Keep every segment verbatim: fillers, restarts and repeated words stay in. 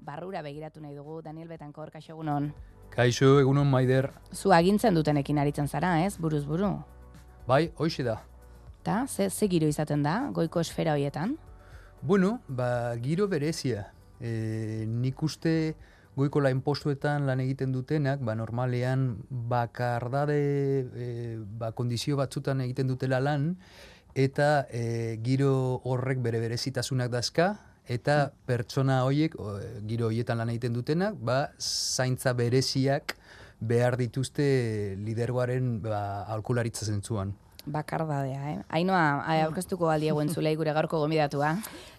barrura begiratu nahi dugu. Daniel Betancor, kaixo egunon. Kaixo egunon Maider. Zu agintzen dutenekin aritzen zara, ez? Buruz buru. Bai, hoxe da. Ta, ze, ze giro izaten da, goiko esfera horietan? Bueno, ba, giro berezia. E, nik uste goiko lain postuetan lan egiten dutenak, ba, normalean bakardade e, ba, kondizio batzutan egiten dutela lan, eta e, giro horrek bere berezitasunak dazka, eta pertsona horiek, o, giro horietan lan egiten dutenak, ba, zaintza bereziak behar dituzte lidergoaren ba, aholkularitza zentzuan. Bakardadea, eh? Ainoa, aurkeztuko aldiegu entzulei gure gaurko gomidatua.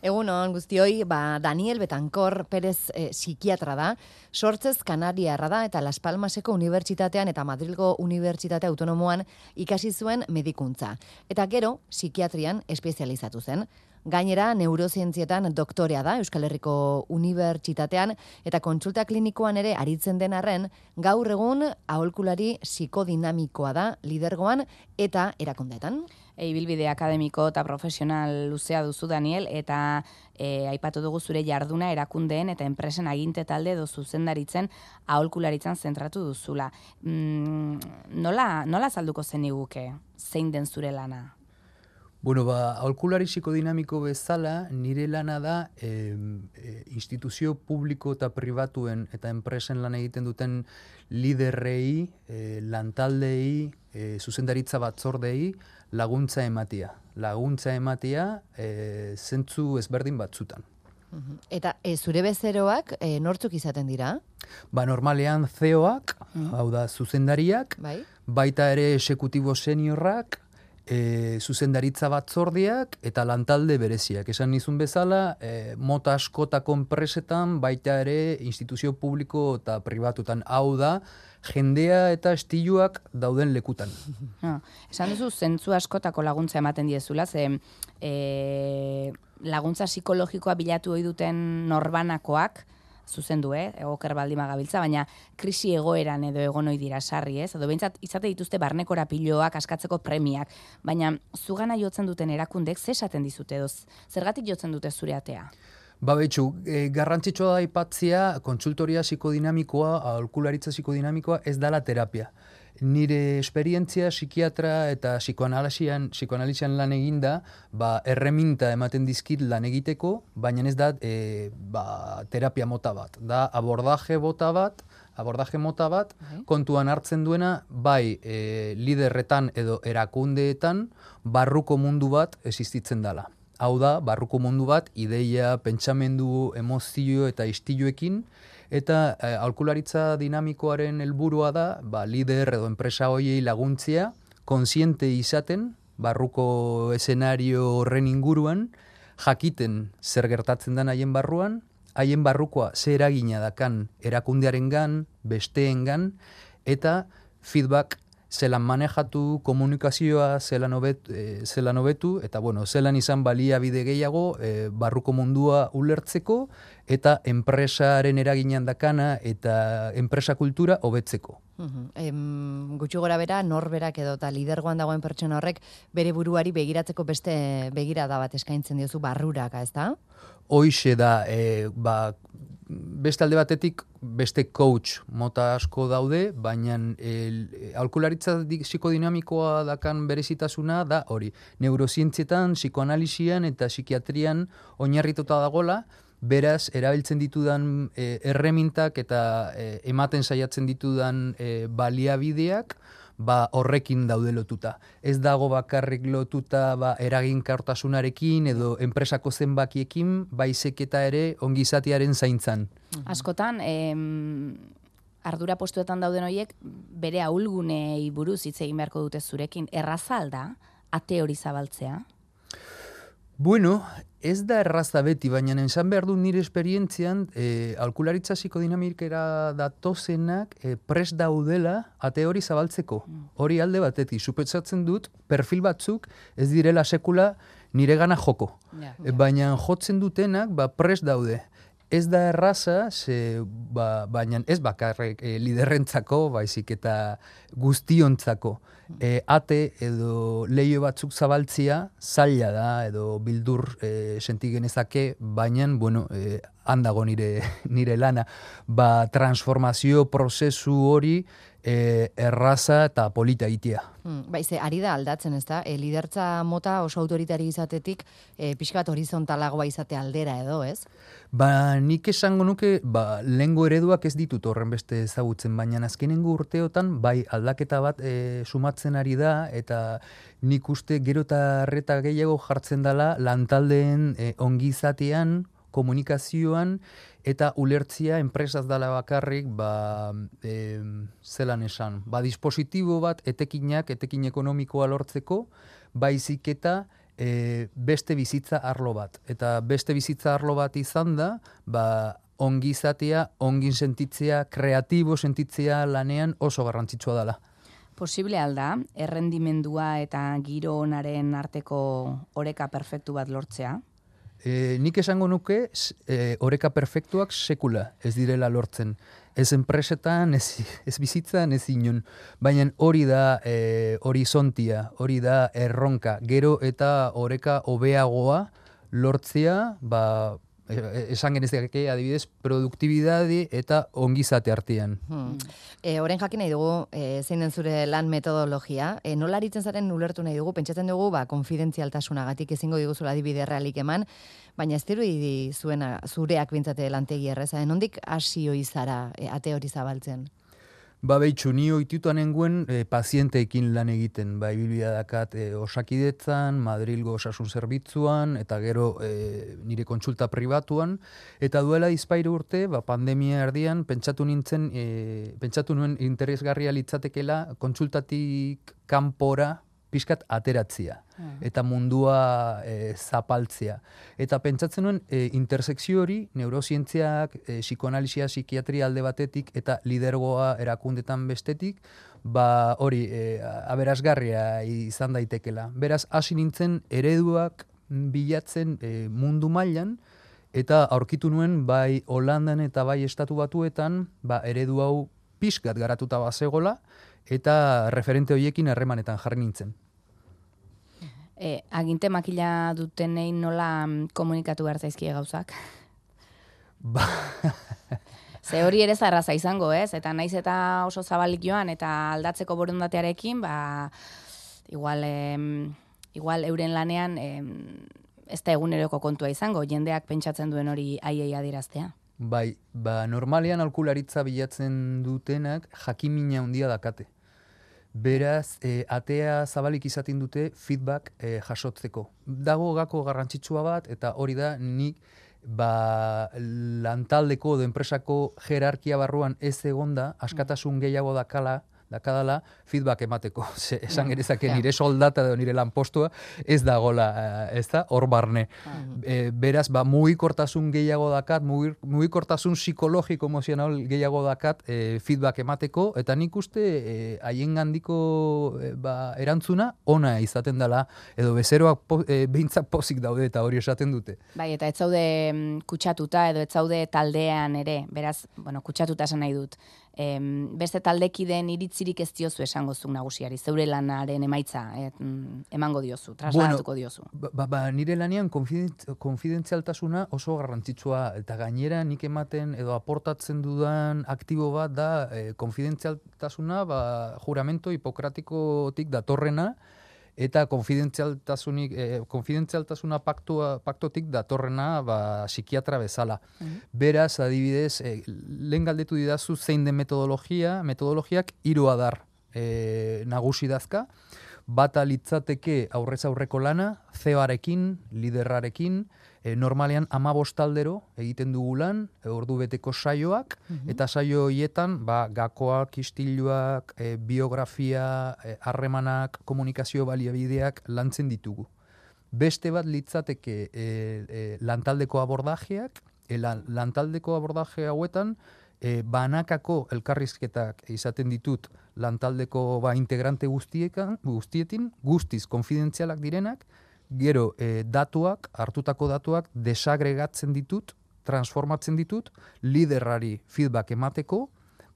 Egunon guztioi, ba, Daniel Betancor Perez eh, psikiatra da, sortzez kanariarra da eta Las Palmaseko Unibertsitatean eta Madrilgo Unibertsitate Autonomoan ikasi zuen medikuntza. Eta gero, psikiatrian espezializatu zen. Gainera, neurozientzietan doktorea da Euskal Herriko Unibertsitatean eta kontsulta klinikoan ere aritzen den arren, gaur egun aholkulari psikodinamikoa da lidergoan eta erakundeetan. Ibilbide akademiko eta profesional luzea duzu, Daniel, eta e, aipatu dugu zure jarduna erakundeen eta enpresen aginte talde edo zuzendaritzen aholkularitzan zentratu duzula. Mm, nola, nola azalduko zeniguke zein den zure lana? Bueno, ba, aholkulari psikodinamiko bezala, nire lana da e, e, instituzio publiko eta pribatuen eta enpresen lan egiten duten liderrei, e, lantaldei, e, zuzendaritza batzordei laguntza ematia. Laguntza ematia e, zentzu ezberdin batzutan. Eta e, zure bezeroak e, nortzuk izaten dira? Ba, normalean C E Oak, mm. hau da zuzendariak, bai? Baita ere exekutibo seniorrak, E, zuzendaritza batzordiak eta lantalde bereziak. Esan nizun bezala, e, mota askotako enpresetan, baita ere instituzio publiko eta pribatutan. Hau da, jendea eta estiluak dauden lekutan. Ah, esan duzu, zentzu askotako laguntza ematen diezula, ze e, laguntza psikologikoa bilatu ohi duten norbanakoak, zuzendu, eh? Egoker baldima gabiltza, baina krisi egoeran edo egon ohi dira sarri, ez? Edo behintzat izate dituzte barnekora piloak, askatzeko premiak, baina zugana jotzen duten erakundek ze esaten dizute edo zergatik jotzen dute zure atea? Ba, betxu, e, garrantzitsua da aipatzea kontsultoria psikodinamikoa, aholkularitza psikodinamikoa ez dala terapia. Nire esperientzia psikiatra eta psikoanalisian, psikoanalisian lan eginda, ba, erreminta ematen dizkit lan egiteko, baina ez da e, ba, terapia mota bat. Da abordaje bota bat, abordaje mota bat, okay. Kontuan hartzen duena, bai e, liderretan edo erakundeetan, barruko mundu bat existitzen dela. Hau da, barruko mundu bat, ideia, pentsamendu, emozio eta istiluekin, eta eh, aholkularitza dinamikoaren helburua da, ba, lider edo enpresa hoiei laguntzea, kontziente izaten, barruko eszenario horren inguruan, jakiten zer gertatzen den haien barruan, haien barrukoa zer eragina dakan erakundearengan, besteengan, eta feedback zelan manejatu, komunikazioa zelan hobetu, e, zelan hobetu eta bueno, zelan izan baliabide gehiago e, barruko mundua ulertzeko eta enpresaren eraginan dakana eta enpresa kultura hobetzeko. Uhum. Em, gutxi gora bera, norberak edo eta lidergoan dagoen pertsona horrek bere buruari begiratzeko beste begirada bat eskaintzen diozu barruraka, ez da? Hoixe da, e, ba, beste alde batetik beste coach mota asko daude, baina aholkularitza psikodinamikoa dakan berezitasuna da hori. Neurozientzietan, psikoanalisian eta psikiatrian oinarrituta dagola, beraz, erabiltzen ditudan e, erremintak eta e, ematen saiatzen ditudan e, baliabideak, ba, horrekin daude lotuta. Ez dago bakarrik lotuta ba, eraginkortasunarekin edo enpresako zenbakiekin, baizik eta ere ongizatearen zaintzan. Askotan, em, ardura postuetan dauden horiek bere ahulgunei buruz hitz egin beharko dute zurekin. Erraza alda, ate hori zabaltzea? Bueno, ez da erraza beti, baina esan behar du nire esperientzian, e, aholkularitza psikodinamikera datozenak e, prest daudela ate hori zabaltzeko. Hori alde batetik, supetzatzen dut, perfil batzuk ez direla sekula nire gana joko. Ja, ja. Baina jotzen dutenak ba, prest daude. Ez da erraza, ze, ba, baina ez bakarrik e, liderrentzako, baizik eta guztiontzako. E, ate edo leio batzuk zabaltzia zaila da, edo bildur e, senti genezake, baina bueno, e, handago nire, nire lana, ba, transformazio prozesu hori e, erraza eta polita egitea. Hmm, bai, ze, ari da aldatzen, ez da? E, lidertza mota oso autoritari izatetik, e, pixkat horizontalagoa izate aldera edo, ez? Ba, nik esango nuke, ba, lehengo ereduak ez ditut horren beste ezagutzen, baina azkenengo urteotan, bai, aldaketa bat e, sumatzen ari da, eta nik uste gero eta arreta gehiago jartzen dela lantaldeen e, ongizatean, komunikazioan, eta ulertzia enpresaz dela bakarrik, ba, e, zelan esan, ba, dispositibo bat etekinak, etekin ekonomikoa lortzeko, baizik eta e, beste bizitza arlo bat. Eta beste bizitza arlo bat izan da, ba, ongizatea, ongin sentitzea, kreatibo sentitzea lanean oso garrantzitsua dela. Posible alda, errendimendua eta giro onaren arteko oreka perfektu bat lortzea? E, nik esango nuke, e, oreka perfektuak sekula ez direla lortzen. Ez enpresetan, ez, ez bizitzan, ez inon. Baina hori da e, horizontia, hori da erronka. Gero eta oreka hobeagoa lortzea, ba, esan genezake adibidez, produktibidade eta ongizate artean. Hmm. E, Oren jakin nahi dugu, e, zein den zure lan metodologia, e, nola aritzen zaren ulertu nahi dugu, pentsatzen dugu, ba, konfidentzialtasunagatik ezingo diguzula adibide realik eman, baina ez dirudi zuena, zureak bintzate lantegi erreza, nondik hasi hoi zara e, ate hori zabaltzen? Ba, behitxu, ni oitutan enguen e, pazienteekin lan egiten, ba, ibilbidea dakat e, osakidetzan, Madrilgo osasun zerbitzuan, eta gero e, nire kontsulta pribatuan, eta duela izpairu urte, ba, pandemia erdian, pentsatu nintzen, e, pentsatu nuen interesgarria litzatekela kontsultatik kanpora pixkat ateratzea, eta mundua e, zapaltzea. Eta pentsatzen nuen e, intersekzio hori, neurozientziak, e, psikoanalizia, psikiatria alde batetik, eta lidergoa erakundetan bestetik, ba hori e, aberasgarria izan daitekela. Beraz, hasi nintzen ereduak bilatzen e, mundu mailan, eta aurkitu nuen bai Holandan eta bai Estatu Batuetan, ba eredu hau pixkat garatuta bazegola, eta referente horiekin harremanetan jarri nintzen. E, aginte makila dutenei nola komunikatu behar zaizkie gauzak? Ba... Ze hori ere zarraza izango, ez? Eta naiz eta oso zabalik joan, eta aldatzeko borondatearekin, ba, igual, em, igual euren lanean em, ez da eguneroko kontua izango, jendeak pentsatzen duen hori aiei adiraztea. Bai, ba, normalean aholkularitza bilatzen dutenak jakimina handia dakate. Beraz, e, atea zabalik izaten dute feedback e, jasotzeko. Dago gako garrantzitsua bat, eta hori da nik ba, lantaldeko edo enpresako jerarkia barruan ez egonda, askatasun gehiago dakala, dakadala feedback emateko. Se, esan genezake yeah. nire soldata edo nire lanpostua ez dagola, ez da, hor barne. Mm. E, beraz, ba, mugikortasun gehiago dakat, mugikortasun psikologiko emozional gehiago dakat e, feedback emateko, eta nik uste haien e, gandiko e, ba, erantzuna ona izaten dela, edo bezeroak po, e, behintzak pozik daude eta hori esaten dute. Bai, eta ez zaude kutsatuta edo ez zaude taldean ere, beraz, bueno, kutsatuta esan nahi dut. Em, beste taldekideen iritzirik ez diozu esango zuk nagusiari, zeure lanaren emaitza et, emango diozu, trasladatuko bueno, diozu. Ba, ba, nire lanean konfidentzialtasuna oso garrantzitsua, eta gainera nik ematen edo aportatzen dudan aktibo bat da e, konfidentzialtasuna ba, juramento hipokratikotik datorrena, eta konfidentzialtasunik, eh, konfidentzialtasuna paktua, paktotik datorrena ba, psikiatra bezala. Mm-hmm. Beraz, adibidez, eh, lehen galdetu didazu zein den metodologia, metodologiak hiru adar eh, nagusi dazka, bata litzateke aurrez aurreko lana, C E O-arekin, liderrarekin, e, normalean hamabost aldero egiten dugu lan, e, ordu beteko saioak, mm-hmm. eta saio horietan ba, gakoak, istiluak, e, biografia, harremanak, e, komunikazio baliabideak lantzen ditugu. Beste bat litzateke e, e, lantaldeko abordajeak, e, lan, lantaldeko abordaje hauetan, E, banakako elkarrizketak izaten ditut lantaldeko ba, integrante guztiekan, guztietin, guztiz konfidentzialak direnak, gero e, datuak, hartutako datuak desagregatzen ditut, transformatzen ditut, liderrari feedback emateko,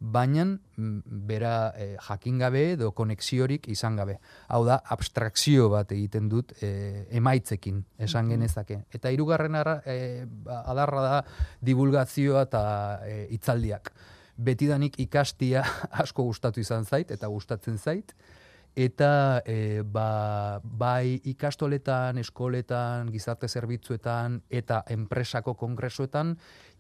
baina bera e, jakin gabe edo konexiorik izan gabe. Hau da, abstrakzio bat egiten dut e, emaitzekin, esan genezake. Eta hirugarren ara, e, adarra da divulgazioa eta e, hitzaldiak. Betidanik ikastia asko gustatu izan zait, eta gustatzen zait, eta e, ba, bai ikastoletan, eskoletan, gizarte zerbitzuetan eta enpresako kongresuetan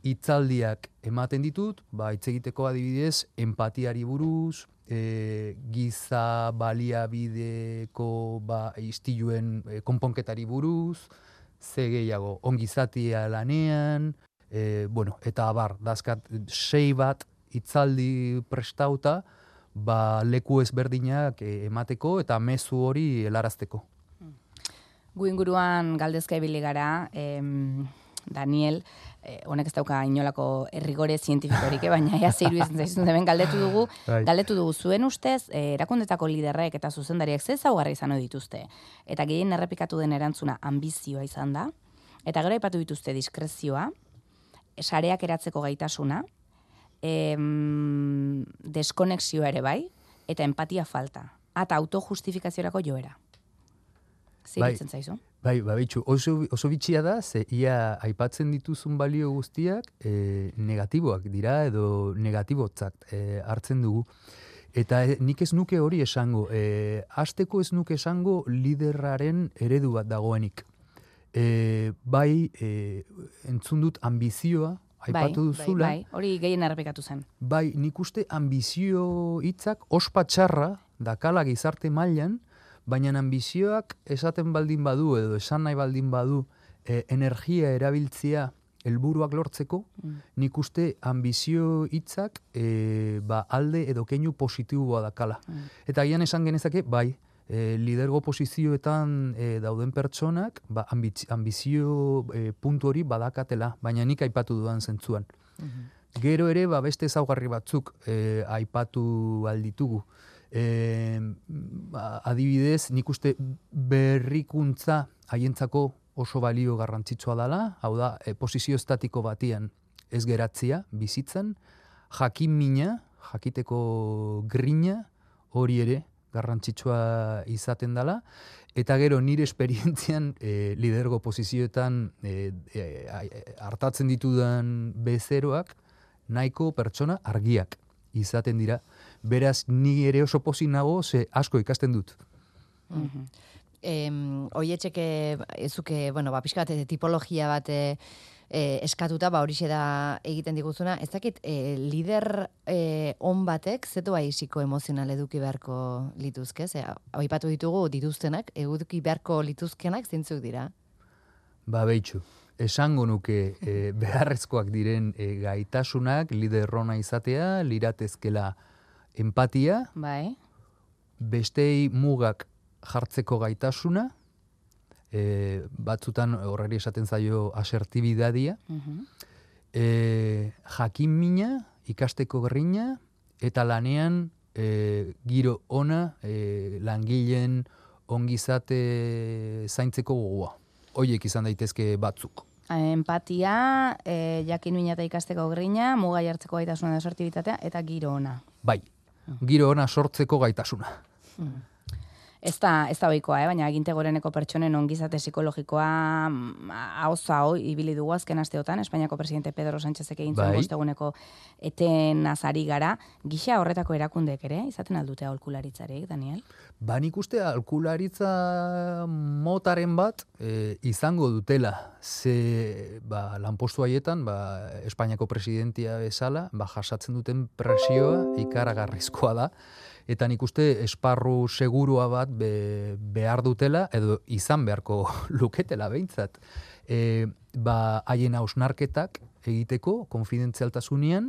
hitzaldiak ematen ditut, ba, hitz egiteko adibidez, empatiari buruz, e, giza baliabideko ba, istiluen e, konponketari buruz, ze gehiago, ongizatia lanean, e, bueno, eta abar, dazkat sei bat hitzaldi prestauta, ba, leku ezberdinak emateko eta mezu hori helarazteko. Gu inguruan galdezka ibili gara, em, Daniel, eh, honek ez dauka inolako errigore zientifikorik, eh, baina ea zeiru izan zaizun hemen galdetu dugu, galdetu dugu zuen ustez, eh, erakundetako liderrek eta zuzendariak ze ezaugarri izan ohi dituzte. Eta gehien errepikatu den erantzuna ambizioa izan da, eta gero aipatu dituzte diskrezioa, sareak eratzeko gaitasuna, em, deskonexioa ere bai, eta empatia falta, eta autojustifikaziorako joera. Ziritzen zaizu? Bai, ba, bitxu, oso, oso bitxia da, ze ia aipatzen dituzun balio guztiak e, negatiboak dira edo negatibotzak e, hartzen dugu. Eta e, nik ez nuke hori esango, e, hasteko ez nuke esango liderraren eredu bat dagoenik. E, bai, e, entzun dut ambizioa, aipatu duzula. Bai, bai, hori gehien errepikatu zen. Bai, nik uste ambizio hitzak ospatxarra dakala gizarte mailan, baina ambizioak esaten baldin badu edo esan nahi baldin badu e, energia erabiltzea helburuak lortzeko, mm. nik uste ambizio hitzak e, ba, alde edo keinu positiboa dakala. Mm. Eta gian esan genezake, bai, e, lidergo posizioetan e, dauden pertsonak ba, ambiz, ambizio e, puntu hori badakatela, baina nik aipatu dudan zentzuan. Mm-hmm. Gero ere, ba, beste ezaugarri batzuk e, aipatu alditugu. E, adibidez, nik uste berrikuntza haientzako oso balio garrantzitsua dela, hau da, e, posizio estatiko batian ez geratzea, bizitzen, jakin mina, jakiteko grina, hori ere garrantzitsua izaten dela, eta gero nire esperientzian e, lidergo posizioetan e, e, hartatzen ditudan bezeroak, nahiko pertsona argiak izaten dira. Beraz, ni ere oso pozik nago, ze asko ikasten dut. Mm-hmm. em, Oietxeke, ezuke, bueno, ba, pixka bat, tipologia bat e, eskatuta, ba, horixe da egiten diguzuna. Ez dakit, e, lider e, on batek, zetu bai psikoemozional eduki beharko lituzke? Ze, aipatu ditugu dituztenak, eduki beharko lituzkenak zintzuk dira? Ba, behitxu. Esango nuke e, beharrezkoak diren e, gaitasunak, lider ona izatea, liratezkela empatia, bai. Bestei mugak jartzeko gaitasuna, e, batzutan horreri esaten zaio asertibidadia, uh-huh. e, jakin mina, ikasteko gerrina, eta lanean e, giro ona, e, langileen ongizate zaintzeko gogoa. Hoiek izan daitezke batzuk. Empatia, e, jakin mina eta ikasteko grina, muga jartzeko gaitasuna da asertibitatea, eta giro ona. Bai, giro ona sortzeko gaitasuna. Mm. Ez da, ez da ohikoa, eh? Baina aginte goreneko pertsonen ongizate psikologikoa hauza hoi ibili dugu azken asteotan, Espainiako presidente Pedro Sánchezek egin zuen bosteguneko eten azari gara, gisa horretako erakundek ere, izaten aldute aholkularitzarik, Daniel? Ba, nik uste aholkularitza motaren bat e, izango dutela. Ze ba, lanpostu haietan, ba, Espainiako presidentia bezala, ba, jasatzen duten presioa ikaragarrizkoa da. Eta nik uste esparru segurua bat be, behar dutela, edo izan beharko luketela behintzat. E, ba, haien hausnarketak egiteko, konfidentzialtasunean,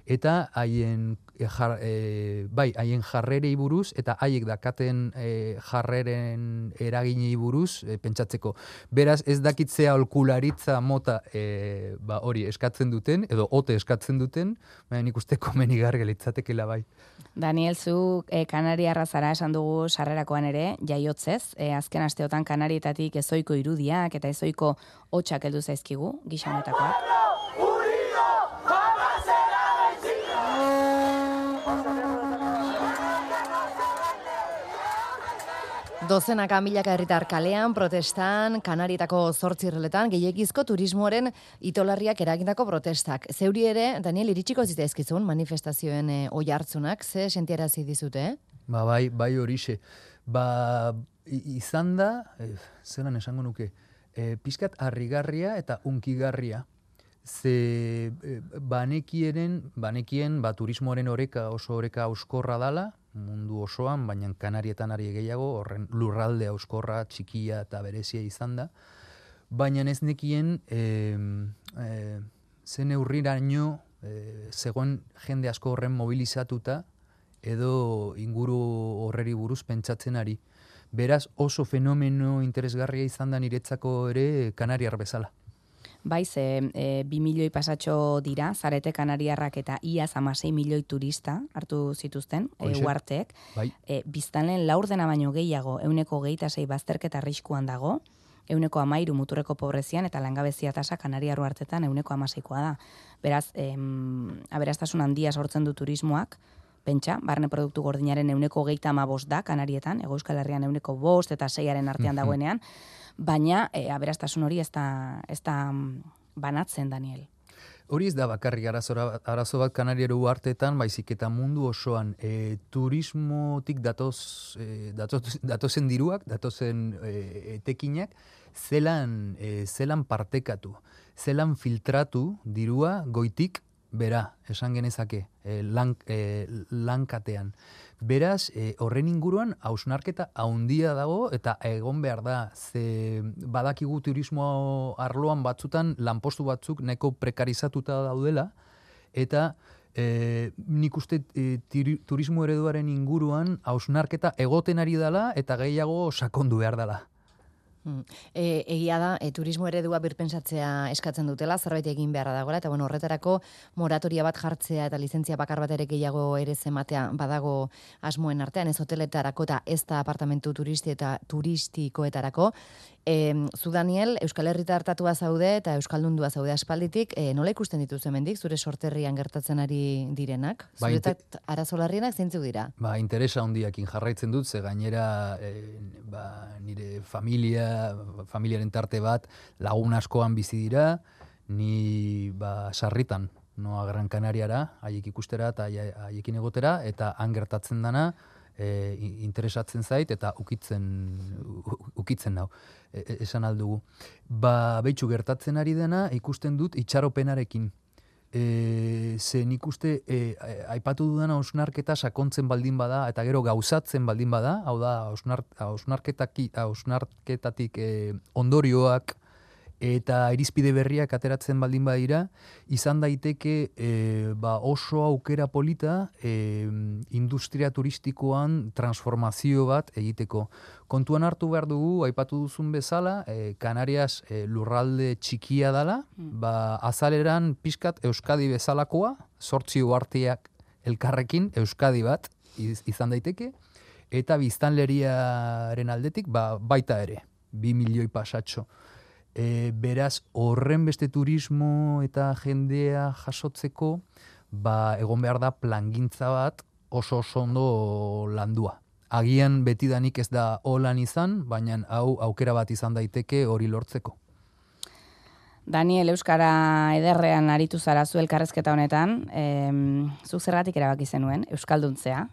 eta haien, e, jar, e, bai, haien jarrerei buruz, eta haiek dakaten e, jarreren eraginei buruz e, pentsatzeko. Beraz, ez dakitzea aholkularitza mota e, ba, hori eskatzen duten, edo ote eskatzen duten, baina nik uste komenigarri litzatekeela bai. Daniel, zu e, Kanariarra zara esan dugu sarrerakoan ere, jaiotzez, e, azken asteotan Kanarietatik ezoiko irudiak eta ezoiko hotxak heldu zaizkigu, gisa honetakoak. Dozenaka milaka herritar kalean, protestan, Kanarietako zortzi irreletan, gehiegizko turismoaren itolarriak eragindako protestak. Zeuri ere, Daniel, iritsiko zitzaizkizun manifestazioen e, oihartzunak, ze sentiarazi dizute, eh? Ba, bai, bai horixe. Ba, izan da, eh, zelan esango nuke, eh, pizkat harrigarria eta unkigarria. Ze eh, banekienen, banekien, ba, turismoaren oreka oso oreka auskorra dala, mundu osoan, baina Kanarietan ari gehiago, horren lurralde auskorra, txikia eta berezia izan da. Baina ez nekien, e, e, zen eurriraino, e, zegoen jende asko horren mobilizatuta, edo inguru horreri buruz pentsatzen ari. Beraz, oso fenomeno interesgarria izan da niretzako ere Kanariar bezala. Bai, ze e, bi milioi pasatxo dira, zarete Kanariarrak eta iaz amasei milioi turista hartu zituzten, e, uarteek. Bai. E, biztanleen laurdena baino gehiago, euneko geita sei bazterketa arriskuan dago, euneko amairu muturreko pobrezian eta langabezia tasa Kanariar uartetan euneko amaseikoa da. Beraz, em, aberastasun handia sortzen du turismoak, pentsa, barne produktu gordinaren euneko geita amabost da Kanarietan, Hego Euskal Herrian euneko bost eta seiaren artean dagoenean, baina e, aberastasun hori ez da, ez da banatzen, Daniel. Hori ez da bakarrik arazora, arazo bat Kanariero uartetan, baizik eta mundu osoan e, turismotik datoz, e, datoz, datozen diruak, datozen e, etekinak, zelan, e, zelan partekatu, zelan filtratu dirua goitik bera, esan genezake, e, lan, e, lankatean. Beraz, e, horren inguruan hausnarketa haundia dago eta egon behar da, ze badakigu turismo arloan batzutan lanpostu batzuk neko prekarizatuta daudela, eta e, nik uste e, tiri, turismo ereduaren inguruan hausnarketa egoten ari dela eta gehiago sakondu behar dela. E, egia da, e, turismo eredua birpentsatzea eskatzen dutela, zerbait egin beharra dagoela, eta bueno, horretarako moratoria bat jartzea eta lizentzia bakar bat ere gehiago ere zematea badago asmoen artean, ez hoteletarako eta ez da apartamentu turisti eta turistikoetarako. E, zu, Daniel, Euskal Herrita hartatua zaude eta Euskaldundua zaude aspalditik, e, nola ikusten dituzu hemendik zure sorterrian gertatzen ari direnak? Ba, Zuretat arazolarrienak zeintzuk dira? Ba, interesa handiakin jarraitzen dut, ze gainera e, ba, nire familia, familiaren tarte bat lagun askoan bizi dira, ni ba, sarritan, noa Gran Kanariara, haiek ikustera eta haiekin egotera, eta han gertatzen dana, E, interesatzen zait eta ukitzen ukitzen nau, e, esan aldugu. Ba, behitxu gertatzen ari dena ikusten dut itxaropenarekin. E, ze nik uste e, aipatu dudana hausnarketa sakontzen baldin bada eta gero gauzatzen baldin bada, hau da hausnarketatik e, ondorioak eta irizpide berriak ateratzen baldin badira, izan daiteke e, ba oso aukera polita e, industria turistikoan transformazio bat egiteko. Kontuan hartu behar dugu, aipatu duzun bezala, e, Kanarias e, lurralde txikia dala, mm. ba azaleran pixkat Euskadi bezalakoa, zortzi uharteak elkarrekin Euskadi bat iz, izan daiteke, eta biztanleriaren aldetik ba, baita ere, bi milioi pasatxo. E, beraz, horren beste turismo eta jendea jasotzeko, ba, egon behar da plangintza bat oso oso ondo landua. Agian betidanik ez da holan izan, baina hau aukera bat izan daiteke hori lortzeko. Daniel, Euskara ederrean aritu zara zu elkarrezketa honetan, e, zuk zergatik erabaki zenuen, Euskalduntzea?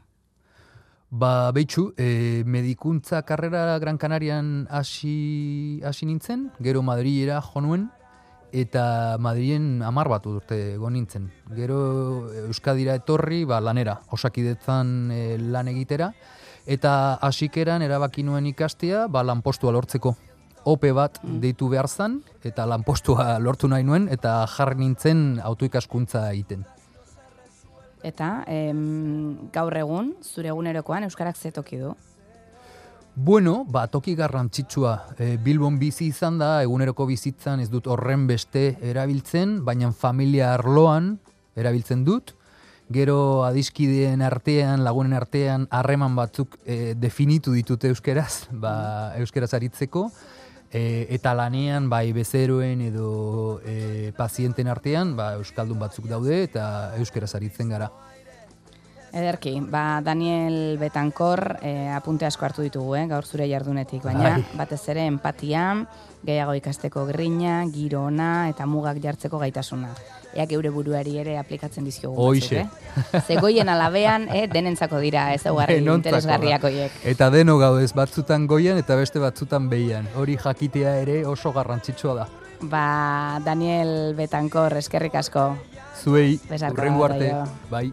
Ba, behitxu, e, medikuntza karrera Gran Kanarian hasi hasi nintzen, gero Madrilera jo nuen, eta Madrilen hamar bat urte egon nintzen. Gero Euskadira etorri, ba, lanera, osakidetzan e, lan egitera, eta hasikeran erabaki nuen ikastea, ba, lanpostua lortzeko. Ope bat deitu behar zan, eta lanpostua lortu nahi nuen, eta jarri nintzen autoikaskuntza egiten. Eta em, gaur egun, zure egunerokoan Euskarak ze toki du? Bueno, ba, toki garrantzitsua. E, Bilbon bizi izan da, eguneroko bizitzan ez dut horren beste erabiltzen, baina familia arloan erabiltzen dut. Gero adiskideen artean, lagunen artean, harreman batzuk e, definitu ditute euskeraz, ba, euskeraz aritzeko. E, eta lanean, bai bezeroen edo e, pazienten artean, ba, euskaldun batzuk daude eta euskeraz aritzen gara. Ederki, ba, Daniel Betankor e, apunte asko hartu ditugu, eh, gaur zure jardunetik, baina Bai. batez ere empatia, gehiago ikasteko grina, giro ona eta mugak jartzeko gaitasuna. Eak eure buruari ere aplikatzen dizkiogu batzuk, Hoixe. eh? Zegoien alabean, eh, denentzako dira ezaugarri Denontzako da. interesgarriak horiek. Eta deno gaudez, batzutan goian eta beste batzutan behian. Hori jakitea ere oso garrantzitsua da. Ba, Daniel Betankor, eskerrik asko. Zuei, Besarka, hurrengo arte, aio. bai.